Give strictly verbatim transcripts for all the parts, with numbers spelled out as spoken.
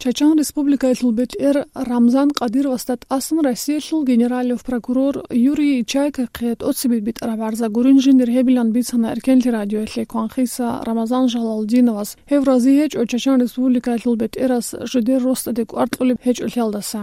Чачан Республикаялъул бетӀер Рамзан Кадыровасда тӀасан Россиялъул генералов прокурор Юрий Чайкахъе тӀоцебе битӀараб гӀарза гурин жиндир гьебилан бицана Эркенлъи радиоялъе кванхиса Рамазан Жалалдиновас, гьев рази гьечӀо Чачан Республикаялъул бетӀерас жидер росдаде кӀвар кьолеб гьечӀолъиялдаса.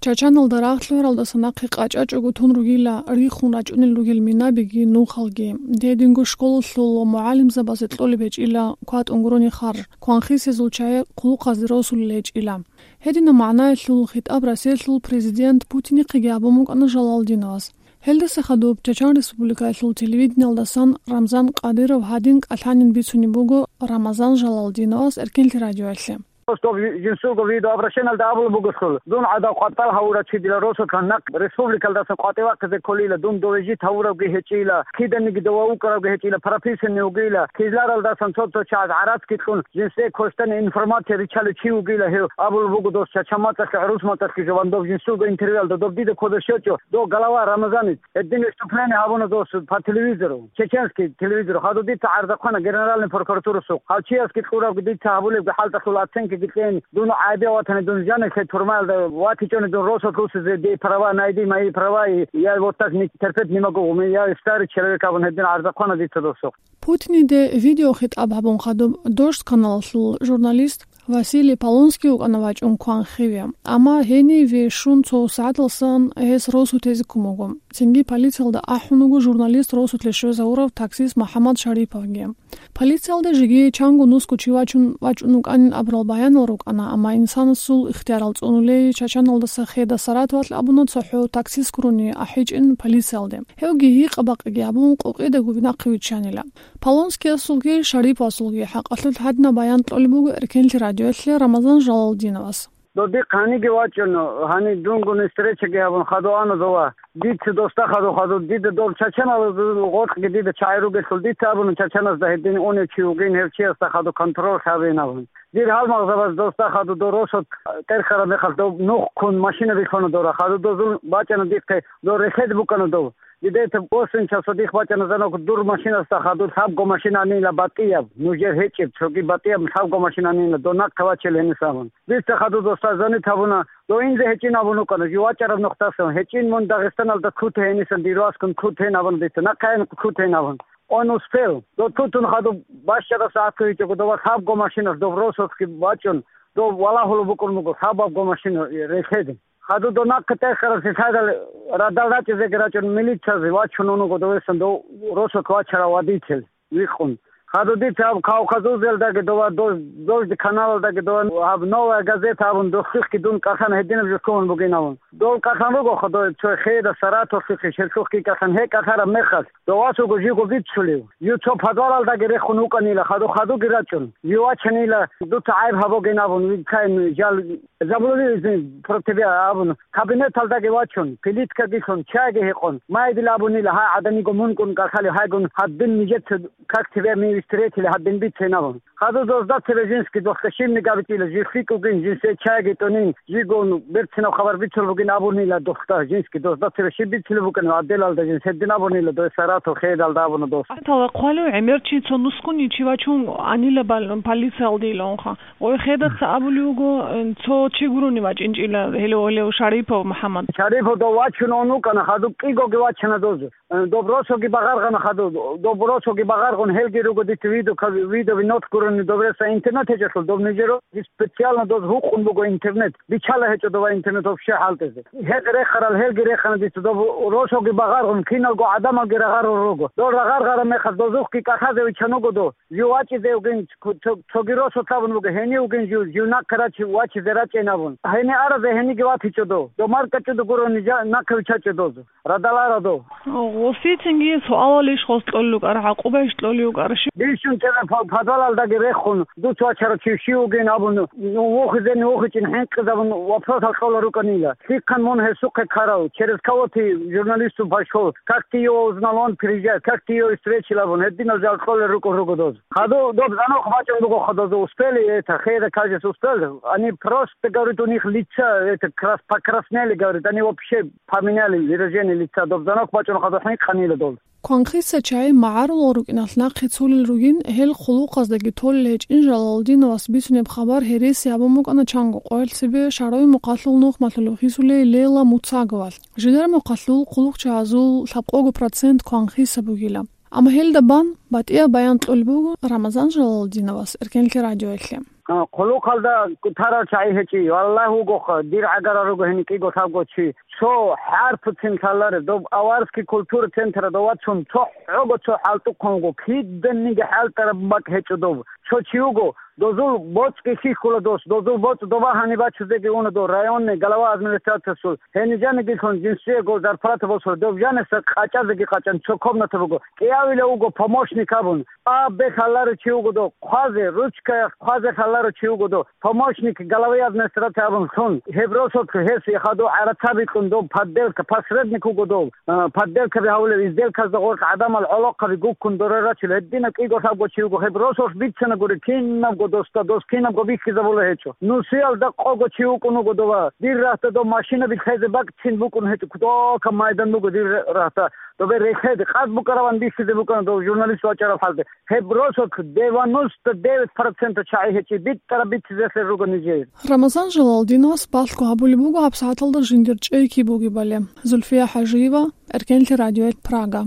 Чачаналда рагъ лъугьаралдаса нахъе къачӀачӀого тун ругила рихун рачӀунел ругел минабиги нухалги. Гьединго школалъул ва мугӀалимзабазе кьолеб гьечӀила кватӀун гурони харж, кванхисезул чагӀи хъулухъазде росулел гьечӀила. Гьединаб магӀнаялъул хитӀаб Россиялъул президент Путинихъеги гьабун букӀана Жалалдиновас. Гьелдаса хадуб Чачан Республикаялъул телевидениялдасан Рамзан Кадыров гьадин кӀалъанин бицунеб буго Рамазан Жалалдиновас Эркенлъи радиоялъе. Просто жинсулго видеообращениялда абулеб бугелъул, дун гӀадав къватӀал гьавурав чи дила росулъан нахъ республикалдасан къватӀивахъизе кколила, дун дове жит гьавуравги гьечӀила, киданиги дова вукӀаравги гьечӀила, прописанный вугила, кизларалдасан цо-цо чагӀаз гӀарацги кьун, жинсее квешлъани информация риччалев чи вугила гьев, абулеб буго дос Чачан мацӀалъе, гӀурус мацӀалъги жо, ва доб жинсулго интервьюялда доб дида кодоб щвечӀо, дов голова Рамазанец, гьедин выступление гьабуна дос по телевизору, чеченский телевизору, хадуб дица гӀарза хъвана Генеральный прокуратурасухъ. Гьав чиясги кьурабги дица гьабулебги хӀалтӀалъул оценкаги кьейин, дун гӀайибе ватани, дун жанивлъе турмаялда ватичӀони, дун росулъ русизе, дей права, найди мои права, и я вот так не терпеть не могу, у меня я старый человек абун гьедин гӀарза хъвана дица досухъ. Путиниде видеохитӀаб гьабун хадуб Дождь каналалъул журналист Василий Полонский вукӀана вачӀун кванхиве, амма гьениве щун цо сагӀаталсан гьес росу тезе ккун буго. Цинги полициялда ахӀун вуго журналист росулъе щвезавурав таксист МухӀаммад Шариповги. Полициялда жеги чанго нусго чи вачун вачӀун вукӀанин абурал баянал рукӀана, амма инсанасул ихтиярал цӀунулей Чачаналдаса Хеда Саратовалъ абуна цохӀо таксист гурони ахӀичӀин полициялде. Гьевги гьикъа-бакъиги гьабун, къукъидаго нахъе виччанила. Полонскиясулги Шариповасулги хӀакъалъулъ гьадинаб баян кьолеб буго Эркенлъи радиоялъе Рамазан Жалалдиновас. Додихъ гьаниги вачӀун, гьани дунгун встречаги гьабун, хадув ана дова. Дица досда хадув, хадув, дида дол чачаналазул гъоркьги дида чагӀи ругелъул, дица абуна чачаназда гьедин унев чи вугин, гьев чиясда хадув контроль гьабин абун. Дир гьалмагъзабаз досда хадув дол росулъ тӀерхьараб мехалъ доб нух ккун машина бихьуна дора. Хадув дозул бачӀана дихъе дол рехед букӀана дов. Дидеца восемь часов дихъ бачӀана звонок, дур машинасда хадур лъабго машина анила батӀияб, нужер гьечӀеб, цоги батӀияб лъабго машина анила, дов нахъе вачел гьениса абун. Дица хадур досда звонит гьабуна, дов инзе гьечӀин абун вукӀана, жив вачӀараб нухдасан, гьечӀин мун Дагъистаналда ккутей гьенисан, дир васкун ккутейин абун дица, нахъе аян ккутейин абун. Он успел. Дов тутун хадур бащараб сагӀат кквечӀого, дова лъабго машинас дов росулъги бачӀун, дов валагьулеб букӀун буго лъабабго машина рехеде. Хадур дов нахъе тӀерхьараб лъилъадал радал рачӀизеги рачӀун милициязе вачун вуго довесан дов росулъ вачарав водитель вихъун. Хадур дица гьаб Кавказузелдаги дова, Дож-, Дождь каналалдаги дова, гьаб Новая газета абун дохлъихъги дун кӀалъан гьединаб жо ккун бугин абун. Дов кӀалъан руго хадур цо Хеда Саратовлъухъе, щеллъухъги кӀалъан, гьеб кӀалъараб мехалъ, дов васго живго бицулев. Жив цо подвалалдаги рехун вукӀанила, хадур хадурги рачӀун. Жив вачанила, дуца гӀайиб гьабугин абун, вилкаин жал Заблудились про тебя абун, кабинеталдаги вачун, плиткаги лъун, чайги гьекъон, майдил абунила, гьай гӀаданиго мункӀун кӀалъалев, гьайгун гьадин нижеца как тебя мы встретили, гьадин бицейин абун. Хадур дозда цебе жинский дохъе щибниги абичӀила, жив лъикӀ вугин, жинсе чайги тӀунин, живгун берцинаб хабар бицун бугин абунила дохда, жинский дозда цебе щиб бицулеб букӀанил гӀадделалда жинс гьедин абунила, дой Саратов хейдалда абуна дос. Тала хъвалев гӀемер чи цо нускуни чи вачун анила бал-, полициялде илаунха. Гъой хедаца абулев вуго, э, цо чи гурони вачӀинчӀила гьелев-гьелев Шарипов МухӀаммад. Шарипов дов вачун ун вукӀана, хадуб кӀигоги вачана доз. Э, доб росоги багъаргъана хадуб, доб росоги багъаргъун гьелги руго дица видео, ка-, видео винот гурони доб реса интернет гьечӀелъул, доб нижеро специально доз гьукъун буго интернет. Бичала гьечӀо дова интернет вообще хӀалтӀизе. Гьел рехарал гьелги рехана дица, доб росоги багъаргъун киналго гӀадамалги рагъарун руго. Дол рагъаргъараб мехалъ дозухъги кӀалъазе вичан вуго дов. Жив вачӀизе вугин, цо-, цоги росулъ абун буго, гьенив вугин жив, жив нахъе рачи-, вачизе рачӀейин абун. Гьенив аразе гьениги ватичӀо дов. Дов маркӀачӀуда гурони жа-, нахъе вичачӀо доз. Радал ара дов. Гъосицинги суалалищ гъос кьолел рукӀар, гӀакъубайищ кьолев вукӀарищ? Бищун цебе по-, подвалалдаги рехун, дуц вачарав чи щив вугин абун, ну, вухизени вухичӀин хӀинкъизабун вопросал кьолел рукӀанила. Лъихъан мун гьесухъе ккарав, через кого ты журналисту пошёл, как ты его узнал, он приезжает, как ты его встречал абун, гьединал жал кьолел рукӀун руго доз. Хадув доб звонок бачӀун буго, хадув успели это, хейра кажется успел. Они просто, говорит, у них лица, это, крас-, покраснели, говорит, они вообще поменяли выражение лица. Доб звонок бачӀун хадув хӀинкъанила дол. Кванхиса чагӀи магӀарулал рукӀиналъ нахъе цолел ругин, гьел хъулухъаздаги толел гьечӀин Жалалдиновас бицунеб хабар гьереси гьабун букӀана чанго къоялъ цебе шагьаралъул нухмалъулев хисулей Лейла Муцаговалъ. Жидер мухъалъул хъулухъчагӀазул лъабкъого процент кванхиса бугила. Амма гьелда бан батӀияб баян кьолеб буго Рамазан Жалалдиновас Эркенлъи радиоялъе. А, хъулухъалда тарал чагӀи гьечӀи, валлагь, вугоха, дир гӀагарал руго гьениб кӀиго-лъабго чи. Цо хӀарпуцин лъаларе, доб аварский культура централда дов вацун, цо хӀого цо хӀалтӀухъан вуго, киданиги хӀалтӀараб бакӀ гьечӀо доб. Цо чи вуго, дозул боцӀги хьихьула дос, дозул боцӀ доба гьаниб бачузеги уна дов, районный глава администрациясул, гьениб жанигилъун жинсиего зарплата босула, доб жаниса къачӀазеги къачӀан цо комната буго, кӀиявила вуго помощник абун. Абе лъаларо чи вуго дов, хъвазе, ручкаялъ хъвазе лъаларо чи вуго дов, помощник главы администрации абун лъун. Гьеб росулъ гьес хадув гӀарацаби кьун дов, подделка, посредник вуго дов, а, подделкаби гьавулев, изделказда гъоркь гӀадамал гӀолохъаби гуккун дора рачул, гьединаб кӀиго-лъабго чи вуго. Гьеб росулъ бицана гури кинабго досда, дос кинабго бихьизабула гьечӀо. Нусиялда къого чи вукӀун вуго дова. Дир рагьда дов машинаби лъезе бакӀцин букӀун гьечӀо, кутакаб майдан буго дир рагьда. Добе рехеде, къад букӀараван бихьизе букӀана дов журналист вачӀараб хӀалде. Гьеб росулъ девяносто девять процент чагӀи гьечӀи битӀараб бицизелъе руго нижер. Рамазан Жалалдиновас балъго гьабулеб буго гьабсагӀаталда жиндир чӀей киб бугебали. Зульфия ХӀажиева, Эркенлъи радиоялъ, Прага.